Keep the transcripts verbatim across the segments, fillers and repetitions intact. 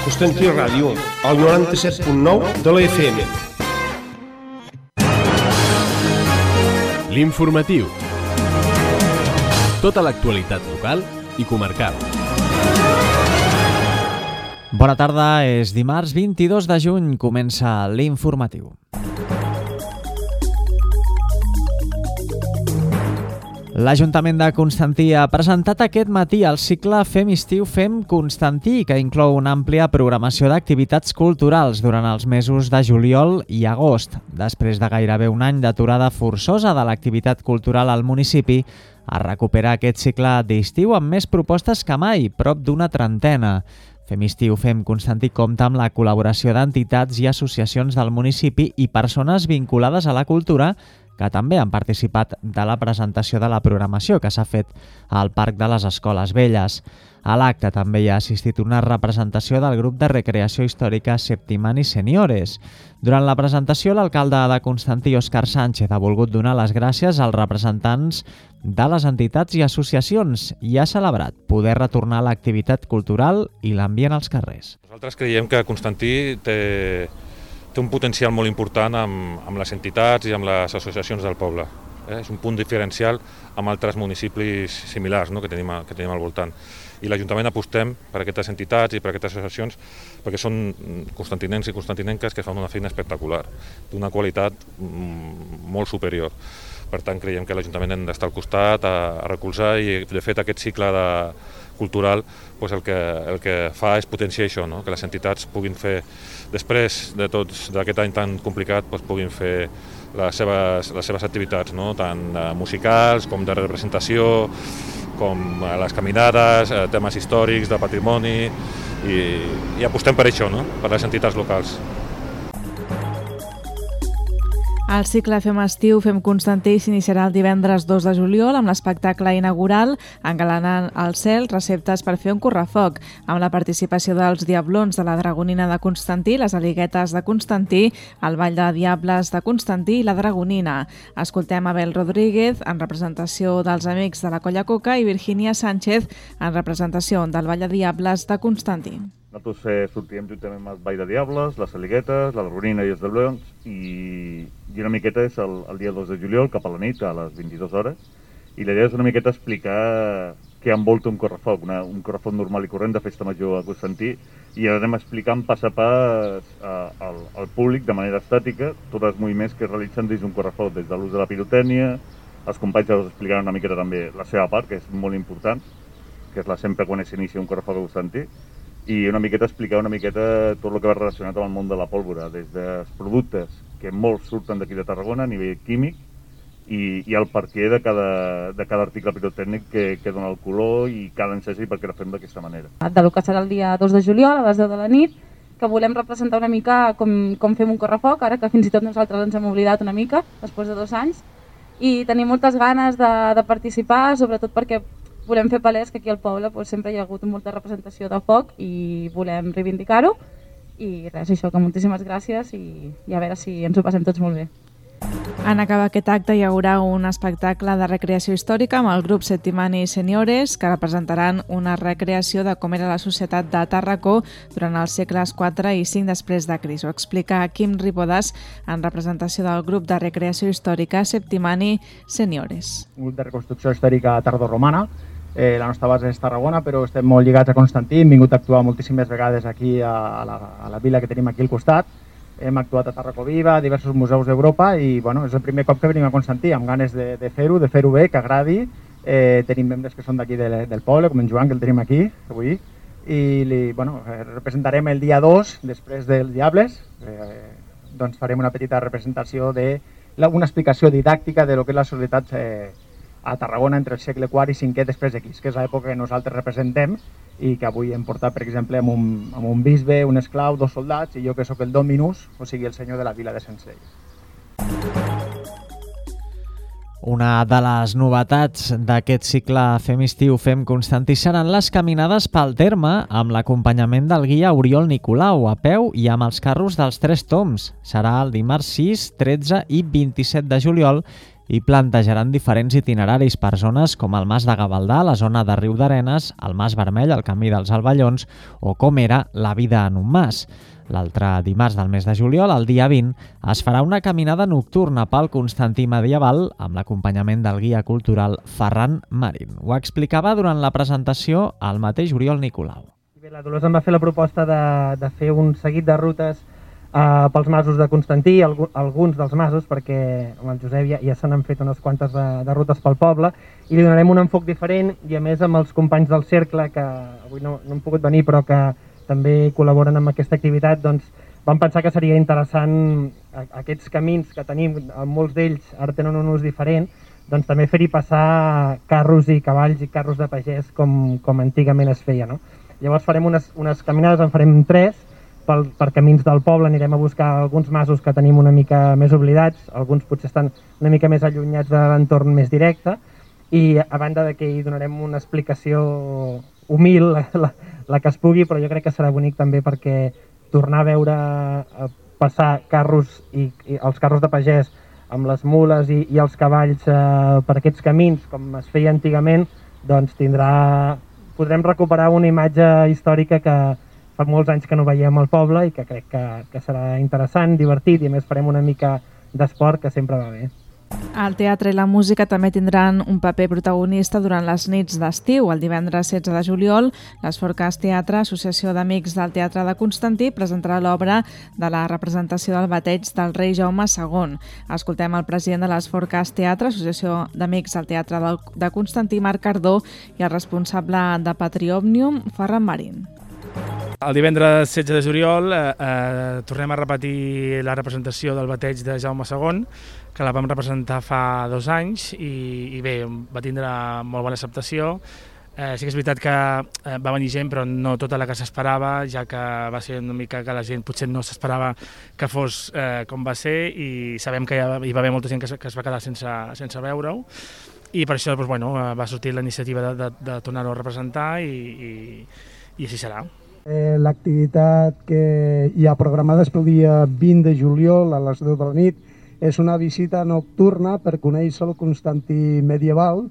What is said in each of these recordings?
Constantí Ràdio, al noranta-set punt nou de la F M. L'informatiu. Tota l'actualitat local i comarcal. Bona tarda, és dimarts vint-i-dos de juny, comença l'informatiu. L'Ajuntament de Constantí ha presentat aquest matí el cicle Fem Estiu, Fem Constantí, que inclou una àmplia programació d'activitats culturals durant els mesos de juliol i agost. Després de gairebé un any d'aturada forçosa de l'activitat cultural al municipi, es recupera aquest cicle d'estiu amb més propostes que mai, prop d'una trentena. Fem Estiu, Fem Constantí compta amb la col·laboració d'entitats i associacions del municipi i persones vinculades a la cultura que també han participat de la presentació de la programació que s'ha fet al Parc de les Escoles Velles. A l'acte també hi ha assistit una representació del grup de recreació històrica Septimani Seniores. Durant la presentació, l'alcalde de Constantí, Òscar Sánchez, ha volgut donar les gràcies als representants de les entitats i associacions i ha celebrat poder retornar l'activitat cultural i l'ambient als carrers. Nosaltres creiem que Constantí té, té un potencial molt important amb, amb les entitats i amb les associacions del poble. Eh? És un punt diferencial amb altres municipis similars, no? que, tenim, que tenim al voltant. I l'Ajuntament apostem per aquestes entitats i per aquestes associacions perquè són constantinencs i constantinenques que fan una feina espectacular, d'una qualitat molt superior. Per tant, creiem que l'Ajuntament hem d'estar al costat, a, a recolzar, i de fet aquest cicle de, cultural pues el, que, el que fa és potenciar això, no? Que les entitats puguin fer, després de tots d'aquest any tan complicat, pues puguin fer les seves, les seves activitats, no? Tant musicals com de representació, com les caminades, temes històrics, de patrimoni, i, i apostem per això, no? Per les entitats locals. El cicle Fem Estiu, Fem Constantí s'iniciarà el divendres dos de juliol amb l'espectacle inaugural Engalanant el cel, receptes per fer un correfoc, amb la participació dels Diablons de la Dragonina de Constantí, les Aliguetes de Constantí, el Ball de Diables de Constantí i la Dragonina. Escoltem Abel Rodríguez en representació dels Amics de la Colla Coca i Virginia Sánchez en representació del Ball de Diables de Constantí. Nosaltres eh, sortirem juntament amb el Ball de Diables, les Aliguetes, la Dragonina i els Diablons, i, i una miqueta és el, el dia dos de juliol, cap a la nit, a les vint-i-dues hores, i la idea és una miqueta explicar què envolta un correfoc, una, un correfoc normal i corrent de festa major a Constantí, i ara anem explicant pas a pas a, al, al públic de manera estàtica tots els moviments que es realitzen dins d'un correfoc, des de l'ús de la pirotècnia. Els companys us explicaran una miqueta també la seva part, que és molt important, que és la sempre quan s'inicia un correfoc a Constantí, i una miqueta explicar una miqueta tot el que va relacionat amb el món de la pólvora, des dels productes que molts surten d'aquí de Tarragona a nivell químic i, i el perquè de cada, de cada article pirotècnic que, que dona el color i cada encès i per què la fem d'aquesta manera. De lo que serà el dia dos de juliol a les deu de la nit, que volem representar una mica com, com fem un correfoc, ara que fins i tot nosaltres ens hem oblidat una mica, després de dos anys, i tenim moltes ganes de, de participar, sobretot perquè volem fer palès que aquí al poble pues, sempre hi ha hagut molta representació de foc i volem reivindicar-ho. I res, això, que moltíssimes gràcies i, i a veure si ens ho passem tots molt bé. En acabar aquest acte hi haurà un espectacle de recreació històrica amb el grup Septimani Seniores que representaran una recreació de com era la societat de Tàrraco durant els segles quatre i cinc després de Crist. Ho explica Quim Ripodas en representació del grup de recreació històrica Septimani Seniores. Un grup de reconstrucció històrica tardoromana. Eh, la nostra base és Tarragona, però estem molt lligats a Constantí. Hem vingut a actuar moltíssimes vegades aquí a, a, la, a la vila que tenim aquí al costat. Hem actuat a Tàrraco Viva, a diversos museus d'Europa i bueno, és el primer cop que venim a Constantí amb ganes de, de fer-ho, de fer-ho bé, que agradi. Eh, tenim membres que són d'aquí de, del poble, com en Joan, que el tenim aquí avui. I li, bueno, representarem el dia dos, després dels Diables. Eh, doncs farem una petita representació de la, una explicació didàctica de lo que és la societat eh, a Tarragona entre el segle quart i cinquè després de Crist, que és l'època que nosaltres representem i que avui hem portat, per exemple, amb un, amb un bisbe, un esclau, dos soldats i jo que sóc el Dominus, o sigui el senyor de la vila de Sensei. Una de les novetats d'aquest cicle Fem Estiu, Fem Constantí seran les caminades pel terme amb l'acompanyament del guia Oriol Nicolau a peu i amb els carros dels Tres Toms. Serà el dimarts sis, tretze i vint-i-set de juliol i plantejaran diferents itineraris per zones com el Mas de Gavaldà, la zona de Riu d'Arenes, el Mas Vermell, el Camí dels Alballons o com era la vida en un mas. L'altre dimarts del mes de juliol, el dia vint, es farà una caminada nocturna pel Constantí medieval amb l'acompanyament del guia cultural Ferran Marín. Ho explicava durant la presentació el mateix Oriol Nicolau. Bé, la Dolors em va fer la proposta de, de fer un seguit de rutes eh, pels masos de Constantí, alguns dels masos, perquè amb el Josep ja, ja se n'han fet unes quantes de, de rutes pel poble, i li donarem un enfoc diferent, i a més amb els companys del cercle, que avui no, no han pogut venir però que també col·laboren amb aquesta activitat, doncs vam pensar que seria interessant aquests camins que tenim, molts d'ells ara tenen un ús diferent, doncs també fer-hi passar carros i cavalls i carros de pagès com, com antigament es feia, no? Llavors farem unes, unes caminades, en farem tres, pel, per camins del poble anirem a buscar alguns masos que tenim una mica més oblidats, alguns potser estan una mica més allunyats de l'entorn més directe, i a banda de que hi donarem una explicació humil, la, la, la que es pugui, però jo crec que serà bonic també perquè tornar a veure a passar carros i, i els carros de pagès amb les mules i, i els cavalls eh, per aquests camins com es feia antigament, doncs tindrà, podrem recuperar una imatge històrica que fa molts anys que no veiem al poble i que crec que, que serà interessant, divertit, i a més farem una mica d'esport que sempre va bé. El teatre i la música també tindran un paper protagonista durant les nits d'estiu. El divendres setze de juliol, l'Esforcast Teatre, Associació d'Amics del Teatre de Constantí, presentarà l'obra de la representació del bateig del rei Jaume segon. Escoltem el president de l'Esforcast Teatre, Associació d'Amics del Teatre de Constantí, Marc Cardó, i el responsable de Patriòmnium, Ferran Marín. El divendres setze de juliol eh, eh, tornem a repetir la representació del bateig de Jaume segon, que la vam representar fa dos anys i, i bé, va tindre molt bona acceptació. Eh, sí que és veritat que eh, va venir gent, però no tota la que s'esperava, ja que va ser una mica que la gent potser no s'esperava que fos eh, com va ser, i sabem que hi va haver molta gent que es, que es va quedar sense, sense veure-ho, i per això doncs, bueno, va sortir la iniciativa de, de, de tornar-ho a representar i, i, i així serà. Eh, L'activitat que hi ha programada és pel dia vint de juliol a les deu de la nit. És una visita nocturna per conèixer el Constantí medieval,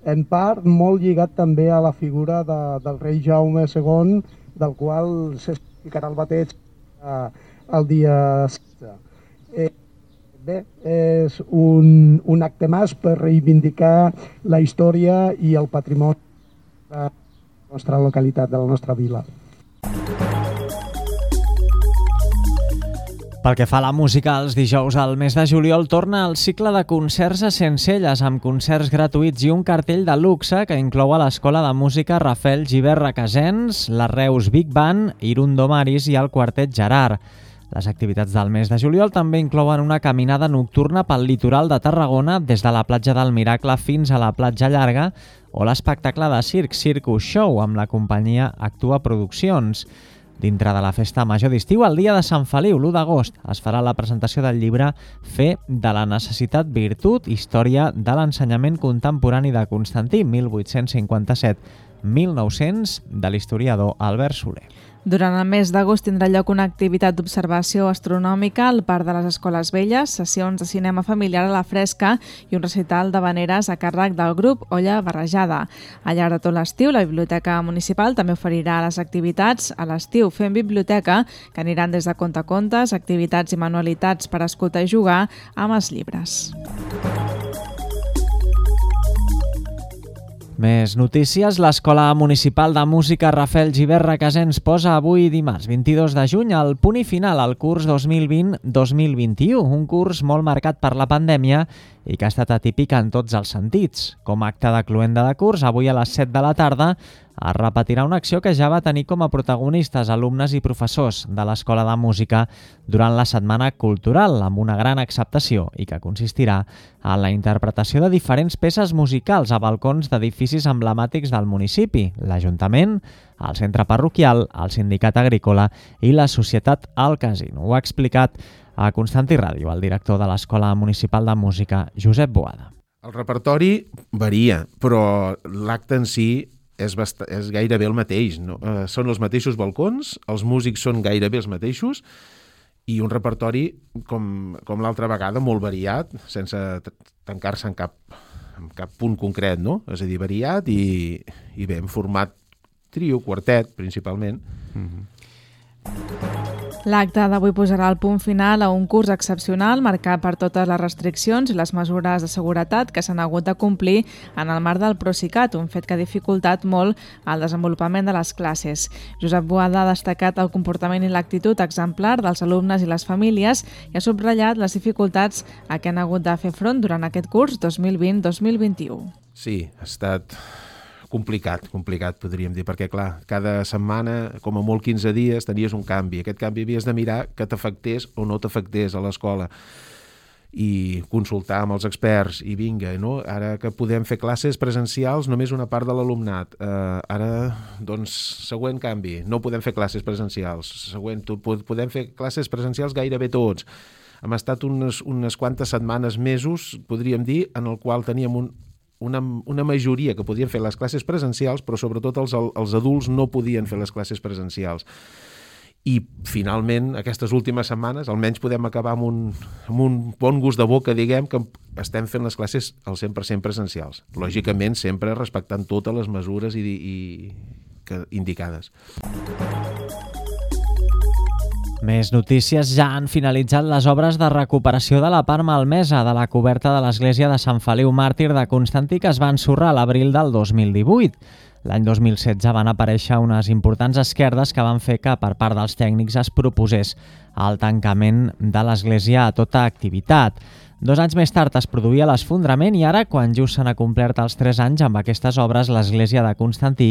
en part molt lligat també a la figura de, del rei Jaume segon, del qual s'explicarà el bateig eh, el dia setze. Eh, bé, és un, un acte més per reivindicar la història i el patrimoni de la nostra localitat, de la nostra vila. Pel que fa a la música, els dijous al mes de juliol torna el cicle de concerts a Sencelles amb concerts gratuïts i un cartell de luxe que inclou a l'Escola de Música Rafael Gibert Requesens, la Reus Big Band, Irundo Maris i el Quartet Gerard. Les activitats del mes de juliol també inclouen una caminada nocturna pel litoral de Tarragona des de la platja del Miracle fins a la platja Llarga o l'espectacle de circ Circus Show amb la companyia Actua Produccions. Dintre de la festa major d'estiu, el dia de Sant Feliu, l'u d'agost, es farà la presentació del llibre Fe de la necessitat virtut, història de l'ensenyament contemporani de Constantí, mil vuit-cents cinquanta-set a mil nou-cents, de l'historiador Albert Soler. Durant el mes d'agost tindrà lloc una activitat d'observació astronòmica al Parc de les Escoles Velles, sessions de cinema familiar a la fresca i un recital d'havaneres a càrrec del grup Olla Barrejada. Al llarg de tot l'estiu, la Biblioteca Municipal també oferirà les activitats a l'estiu Fem Biblioteca, que aniran des de contacontes, activitats i manualitats per escoltar i jugar amb els llibres. Més notícies. L'Escola Municipal de Música Rafael Gibert Requesens posa avui dimarts vint-i-dos de juny el punt i final al curs dos mil vint dos mil vint-i-u, un curs molt marcat per la pandèmia i que ha estat atípic en tots els sentits. Com a acte de cloenda de curs, avui a les set de la tarda es repetirà una acció que ja va tenir com a protagonistes alumnes i professors de l'Escola de Música durant la Setmana Cultural, amb una gran acceptació i que consistirà en la interpretació de diferents peces musicals a balcons d'edificis emblemàtics del municipi, l'Ajuntament, el Centre Parroquial, el Sindicat Agrícola i la Societat El Casino. Ho ha explicat a Constantí Ràdio el director de l'Escola Municipal de Música, Josep Boada. El repertori varia, però l'acte en si és, bast... és gairebé el mateix. No? Eh, són els mateixos balcons, els músics són gairebé els mateixos i un repertori, com, com l'altra vegada, molt variat, sense tancar-se en cap, en cap punt concret, no? És a dir, variat i, i bé, en format trio, quartet, principalment. Mm-hmm. L'acte d'avui posarà el punt final a un curs excepcional marcat per totes les restriccions i les mesures de seguretat que s'han hagut de complir en el marc del Procicat, un fet que ha dificultat molt el desenvolupament de les classes. Josep Boada ha destacat el comportament i l'actitud exemplar dels alumnes i les famílies i ha subratllat les dificultats a què han hagut de fer front durant aquest curs dos mil vint dos mil vint-i-u. Sí, ha estat complicat, complicat podríem dir, perquè clar, cada setmana, com a molt quinze dies, tenies un canvi. Aquest canvi havies de mirar que t'afectés o no t'afectés a l'escola i consultar amb els experts i vinga, no? Ara que podem fer classes presencials, només una part de l'alumnat. Uh, ara, doncs, següent canvi, no podem fer classes presencials. Següent, podem fer classes presencials gairebé tots. Hem estat unes, unes quantes setmanes, mesos, podríem dir, en el qual teníem un Una, una majoria que podien fer les classes presencials, però sobretot els, els adults no podien fer les classes presencials. I finalment, aquestes últimes setmanes, almenys podem acabar amb un, amb un bon gust de boca, diguem, que estem fent les classes al cent per cent presencials. Lògicament, sempre respectant totes les mesures i, i, que, indicades. Més notícies. Ja han finalitzat les obres de recuperació de la part malmesa de la coberta de l'església de Sant Feliu Màrtir de Constantí, que es va ensorrar a l'abril del dos mil divuit. L'any dos mil setze van aparèixer unes importants esquerdes que van fer que per part dels tècnics es proposés el tancament de l'església a tota activitat. Dos anys més tard es produïa l'esfondrament i ara, quan just s'han complert els tres anys amb aquestes obres, l'església de Constantí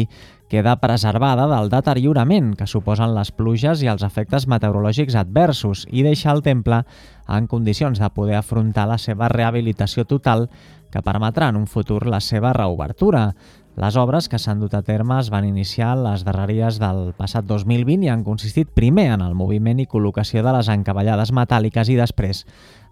queda preservada del deteriorament que suposen les pluges i els efectes meteorològics adversos i deixa el temple en condicions de poder afrontar la seva rehabilitació total que permetrà en un futur la seva reobertura. Les obres que s'han dut a terme es van iniciar les darreries del passat dos mil vint i han consistit primer en el moviment i col·locació de les encavallades metàl·liques i després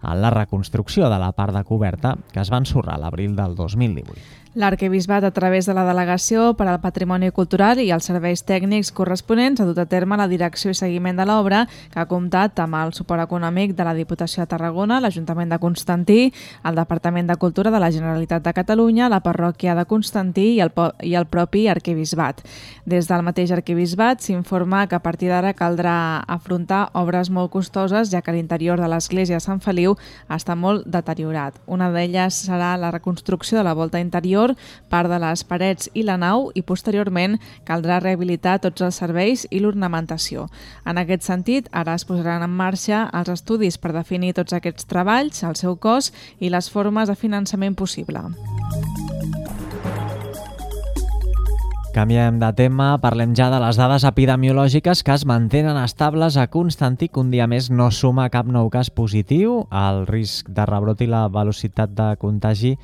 en la reconstrucció de la part de coberta que es va ensorrar a l'abril del dos mil divuit. L'Arquebisbat, a través de la Delegació per al Patrimoni Cultural i els serveis tècnics corresponents, ha dut a terme la direcció i seguiment de l'obra, que ha comptat amb el suport econòmic de la Diputació de Tarragona, l'Ajuntament de Constantí, el Departament de Cultura de la Generalitat de Catalunya, la Parròquia de Constantí i el, i el propi Arquebisbat. Des del mateix Arquebisbat s'informa que a partir d'ara caldrà afrontar obres molt costoses, ja que l'interior de l'església de Sant Feliu està molt deteriorat. Una d'elles serà la reconstrucció de la volta interior, part de les parets i la nau, i posteriorment caldrà rehabilitar tots els serveis i l'ornamentació. En aquest sentit, ara es posaran en marxa els estudis per definir tots aquests treballs, el seu cost i les formes de finançament possible. Canviem de tema, parlem ja de les dades epidemiològiques que es mantenen estables a Constantí, que un dia més no suma cap nou cas positiu. El risc de rebrot i la velocitat de contagi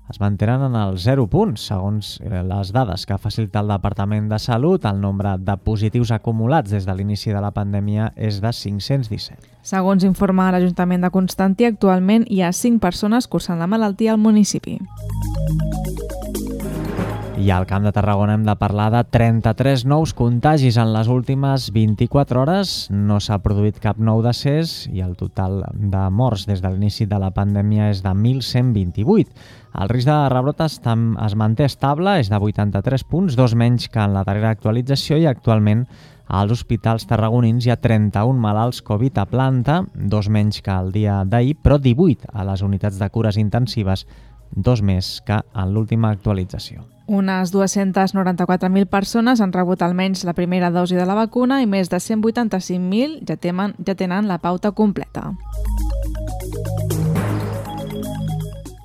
es mantenen en els zero punts. Segons les dades que ha facilitat el Departament de Salut, el nombre de positius acumulats des de l'inici de la pandèmia és de cinc-cents disset. Segons informa l'Ajuntament de Constantí, actualment hi ha cinc persones cursant la malaltia al municipi. I al Camp de Tarragona hem de parlar de trenta-tres nous contagis en les últimes vint-i-quatre hores. No s'ha produït cap nou decés i el total de morts des de l'inici de la pandèmia és de mil cent vint-i-vuit. El risc de rebrot es, es manté estable, és de vuitanta-tres punts, dos menys que en la darrera actualització, i actualment als hospitals tarragonins hi ha trenta-un malalts Covid a planta, dos menys que el dia d'ahir, però divuit a les unitats de cures intensives, dos més que en l'última actualització. Unes dues-centes noranta-quatre mil persones han rebut almenys la primera dosi de la vacuna i més de cent vuitanta-cinc mil ja, temen, ja tenen la pauta completa.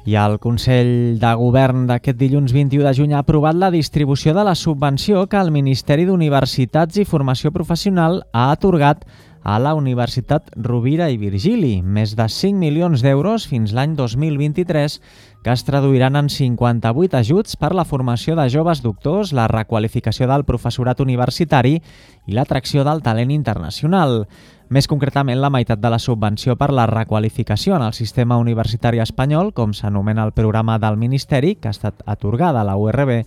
I el Consell de Govern d'aquest dilluns vint-i-u de juny ha aprovat la distribució de la subvenció que el Ministeri d'Universitats i Formació Professional ha atorgat a la Universitat Rovira i Virgili, més de cinc milions d'euros fins l'any dos mil vint-i-tres, que es traduiran en cinquanta-vuit ajuts per la formació de joves doctors, la requalificació del professorat universitari i l'atracció del talent internacional. Més concretament, la meitat de la subvenció per la requalificació en el sistema universitari espanyol, com s'anomena el programa del Ministeri, que ha estat atorgada a la U R B,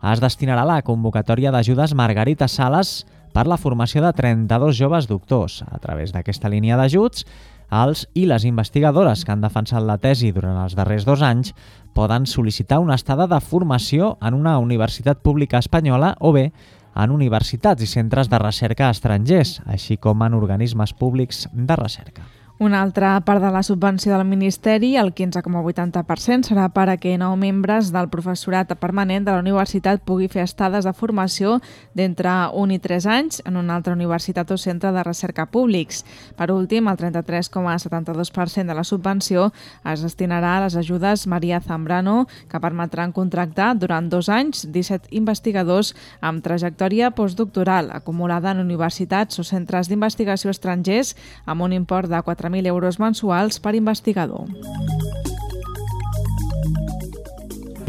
es destinarà a la convocatòria d'ajudes Margarita Sales per la formació de trenta-dos joves doctors. A través d'aquesta línia d'ajuts, els i les investigadores que han defensat la tesi durant els darrers dos anys poden sol·licitar una estada de formació en una universitat pública espanyola o bé en universitats i centres de recerca estrangers, així com en organismes públics de recerca. Una altra part de la subvenció del Ministeri, el quinze coma vuitanta per cent, serà per a que nou membres del professorat permanent de la universitat pugui fer estades de formació d'entre un i tres anys en una altra universitat o centre de recerca públics. Per últim, el trenta-tres coma setanta-dos per cent de la subvenció es destinarà a les ajudes Maria Zambrano, que permetran contractar durant dos anys disset investigadors amb trajectòria postdoctoral acumulada en universitats o centres d'investigació estrangers amb un import de quatre mil euros mensuals per investigador.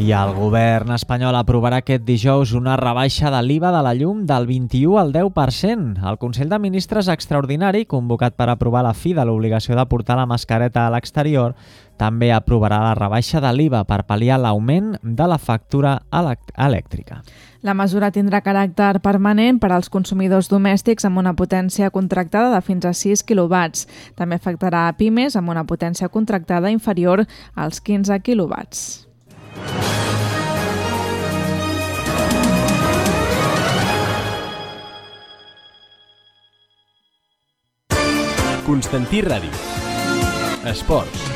I el govern espanyol aprovarà aquest dijous una rebaixa de l'I V A de la llum del vint-i-u al deu per cent. El Consell de Ministres extraordinari, convocat per aprovar la fi de l'obligació de portar la mascareta a l'exterior, també aprovarà la rebaixa de l'I V A per pal·liar l'augment de la factura elèctrica. La mesura tindrà caràcter permanent per als consumidors domèstics amb una potència contractada de fins a sis quilowatts. També afectarà a pimes amb una potència contractada inferior als quinze quilowatts. Constantí Ràdio. Esports.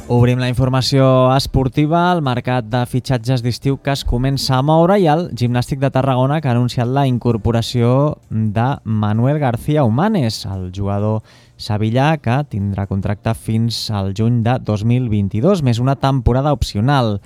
Obrim la informació esportiva, el mercat de fitxatges d'estiu que es comença a moure i el Gimnàstic de Tarragona que ha anunciat la incorporació de Manuel García Humanes, el jugador sevillà que tindrà contracte fins al juny de dos mil vint-i-dos, més una temporada opcional.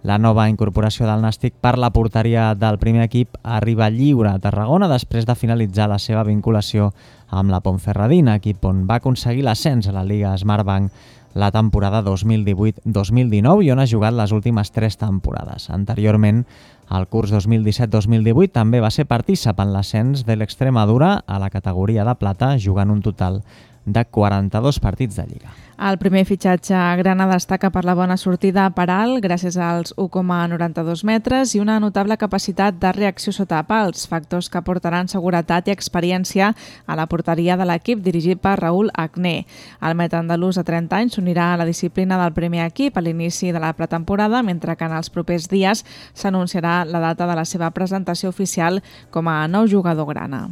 La nova incorporació del Nàstic per la porteria del primer equip arriba lliure a Tarragona després de finalitzar la seva vinculació amb la Ponferradina, equip on va aconseguir l'ascens a la Lliga Smartbank la temporada dos mil divuit dos mil dinou i on ha jugat les últimes tres temporades. Anteriorment, el curs dos mil disset dos mil divuit també va ser partícip en l'ascens de l'Extremadura a la categoria de plata, jugant un total de quaranta-dos partits de Lliga. El primer fitxatge grana destaca per la bona sortida per alt, gràcies als u coma noranta-dos metres i una notable capacitat de reacció sota pals, factors que aportaran seguretat i experiència a la porteria de l'equip dirigit per Raúl Agné. El met andalús de trenta anys s'unirà a la disciplina del primer equip a l'inici de la pretemporada, mentre que en els propers dies s'anunciarà la data de la seva presentació oficial com a nou jugador grana.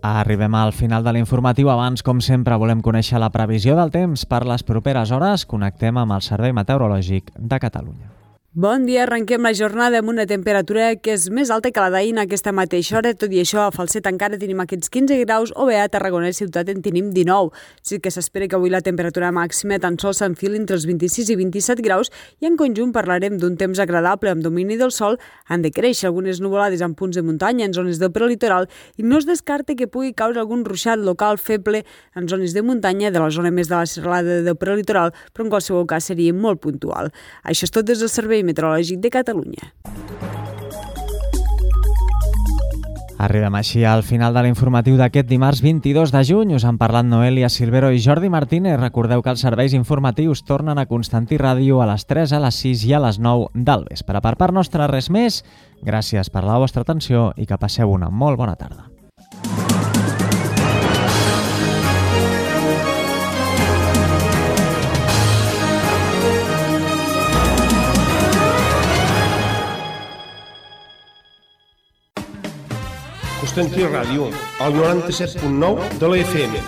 Arribem al final de l'informatiu. Abans, com sempre, volem conèixer la previsió del temps per les properes hores. Connectem amb el Servei Meteorològic de Catalunya. Bon dia, arrenquem la jornada amb una temperatura que és més alta que la d'ahir en aquesta mateixa hora. Tot i això, a Falset encara tenim aquests quinze graus o bé a Tarragona i Ciutat en tenim dinou. Sí que s'espera que avui la temperatura màxima tan sols s'enfili entre els vint-i-sis i vint-i-set graus i en conjunt parlarem d'un temps agradable amb domini del sol. Han de créixer algunes nuvolades en punts de muntanya en zones del prelitoral i no es descarta que pugui caure algun ruixat local feble en zones de muntanya de la zona més de la serralada del prelitoral, però en qualsevol cas seria molt puntual. Això és tot des del Servei Meteorològic de Catalunya. Arribem així al final de l'informatiu d'aquest dimarts vint-i-dos de juny. Us han parlat Noelia Silvero i Jordi Martínez. Recordeu que els serveis informatius tornen a Constantí Ràdio a les tres, a les sis i a les nou del vespre. Per part nostra res més. Gràcies per la vostra atenció i que passeu una molt bona tarda. Constantí Ràdio, al noranta-set punt nou de la F M.